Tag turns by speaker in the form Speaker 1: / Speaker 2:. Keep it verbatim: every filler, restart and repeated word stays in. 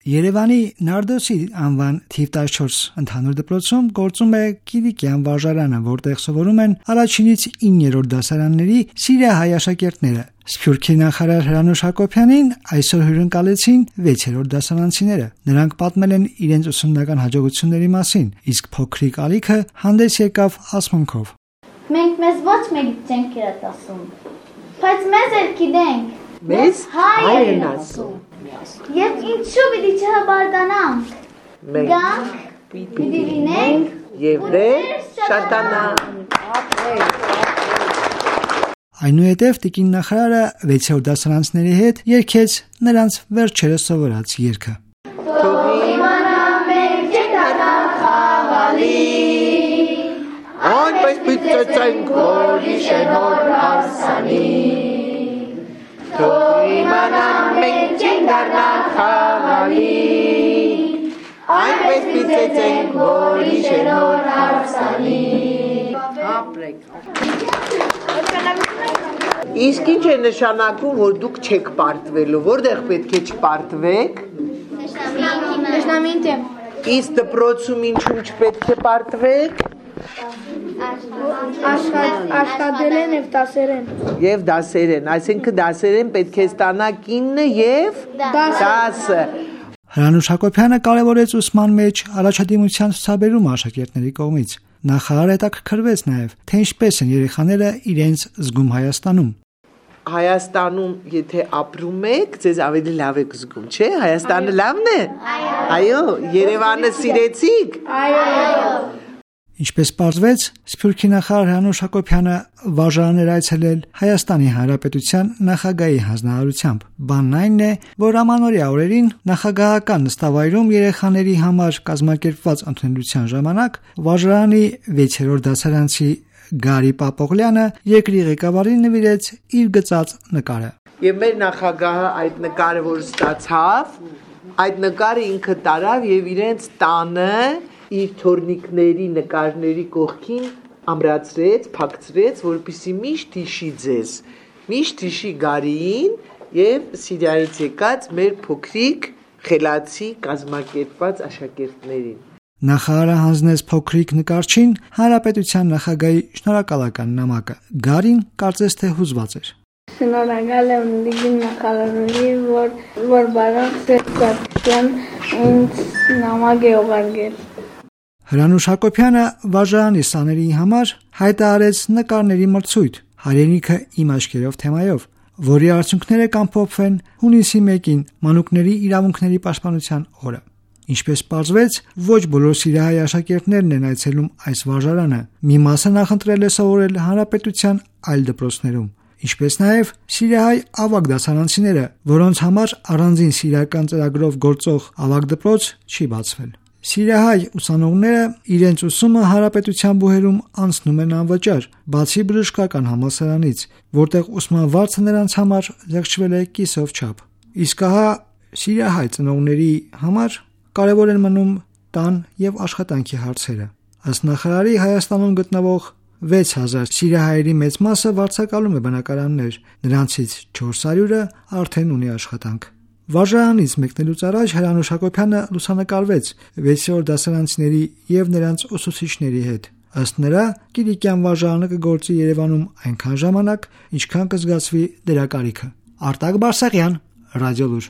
Speaker 1: Երևանի Նարդոսի անվան թիվ տասնչորս ընդհանուր դպրոցում գործում է Կիլիկյան վարժարանը, որտեղ սովորում են առաջինից իններորդ դասարանների սիրիահայ աշակերտները։ Սփյուռքի նախարար Հրանուշ Հակոբյանին այսօր հյուրընկալեցին վեցերորդ դասարանցիները։ Նրանք պատմել են իրենց ուսումնական հաջողությունների մասին, իսկ փոքրիկ Ալիքը հանդես եկավ ասմունքով։
Speaker 2: Մենք մեզ ոչ մեկից չենք կերատասում, բայց մեզ էլ գիտենք։
Speaker 3: Մեզ հայ են ասում։
Speaker 2: Եվ ինչու պիտի չհբարդանանք։
Speaker 3: Մենք
Speaker 2: Գանք, պիտի լինենք
Speaker 3: եւ դեր շատանանք։
Speaker 1: Այնուհետև տիկին նախարարը վեցերորդ դասարանցիների հետ երգեց նրանց վերջերս սովորած երգը։
Speaker 3: Թող իմանամ մենք չդառնանք խաղալի, այնպես պիտծենք, որ իշենոր արսանի։ Թող իմանամ մենք չդառնանք խաղալի, այնպես պիտծենք, որ իշենոր արսանի։ Իսկ ինչ է նշանակում, որ դուք չեք պարտվելու, որտեղ պետք է չպարտվեք։
Speaker 2: Դաշնամին դեմ։
Speaker 3: Իսկ դպրոցում ինչու չպետք է պարտվեք։
Speaker 2: Աշխատել են եւ դասերեն։
Speaker 3: Եվ դասերեն, այսինքն դասերեն պետք է ստանաք ինը եւ դասը։
Speaker 1: Հրանուշ Հակոբյանը կարևորեց ուսման մեջ առաջադիմության ցուցաբերումը աշակերտների կողմից։ Նախարարը հետաքրքրվեց նաև, թե ինչպես են երեխաները իրենց զգում Հայաստանում։
Speaker 3: Հայաստանում, եթե ապրում եք, ձեզ ավելի լավ եք զգում, չէ՞։ Հայաստանը լավն է։ Այո, Երևանը սիրեցիք։
Speaker 2: Այո։
Speaker 1: Ինչպես պարզվեց, Սփյուռքի նախարար Հրանուշ Հակոբյանը վարժարաններ այցելել Հայաստանի Հանրապետության նախագահի հանձնարարությամբ։ Բանն այն է, որ ամանորյա օրերին նախագահական նստավայրում երեխաների համար կազմակերպված ընդունելության ժամանակ վարժարանի վեցերորդ դասարանցի Գարի Պապողլյանը երկրի ղեկավարին նվիրեց իր գծած նկարը։
Speaker 3: Եվ մեր նախագահը այդ նկարը, որ ստացավ, այդ նկարը ինքը տարավ եւ իրենց տանը իր թորնիկների նկարների կողքին ամրացրեց, փակցրեց, որպեսզի միշտ հիշի ձեզ, միշտ հիշի Գարիին եւ Սիրիայից եկած մեր փոքրիկ խելացի կազմակերպված աշակերտներին։
Speaker 1: Նախարարը հանձնեց փոքրիկ նկարչին Հանրապետության նախագահի շնորհակալական նամակը։ Գարին կարծես թե հուզված էր։
Speaker 2: Շնորհակալ եմ տիկին նախարարին, որ որ բարակ Սերգյան ինձ նամակ է ուղարկել։
Speaker 1: Հրանուշ Հակոբյանը վարժարանի սաների համար հայտարարեց նկարների մրցույթ «Հայրենիքը իմ աչքերով» թեմայով, որի արդյունքները կամփոփվեն հունիսի մեկին մանուկների իրավունքների պաշտպանության օրը։ Ինչպես պարզվեց, ոչ բոլոր սիրիահայ աշակերտներն են այցելում այս վարժարանը։ Մի մասը նախընտրել է սովորել հանրապետության այլ դպրոցներում, ինչպես նաև սիրիահայ ավագ դասարանցիները, որոնց համար առանձին սիրիական ծրագրով գործող ավագ դպրոց չի բացվել։ Սիրիահայ ուսանողները իրենց ուսումը հանրապետության բուհերում անցնում են անվճար, բացի բժշկական համալսարանից, որտեղ ուսման վարձը նրանց համար զեղչվել է կիսով չափ։ Իսկ ահա սիրիահայ ծնողների համար կարևոր են մնում տան եւ աշխատանքի հարցերը։ Ըստ նախարարի Հայաստանում գտնվող վեց հազար սիրիահայերի մեծ մասը վարձակալում է բնակարաններ, նրանցից չորս հարյուրը արդեն ունի աշխատանք։ Վարժարանից մեկնելուց առաջ Հրանուշ Հակոբյանը լուսանկարվեց վեցերորդ դասարանցիների եւ նրանց ուսուցիչների հետ։ Ըստ նրա, Կիլիկյան վարժարանը կգործի Երևանում այնքան ժամանակ, ինչքան կզգացվի դրա կարիքը։ Արտակ Բարսեղյան, Ռադիոլուր։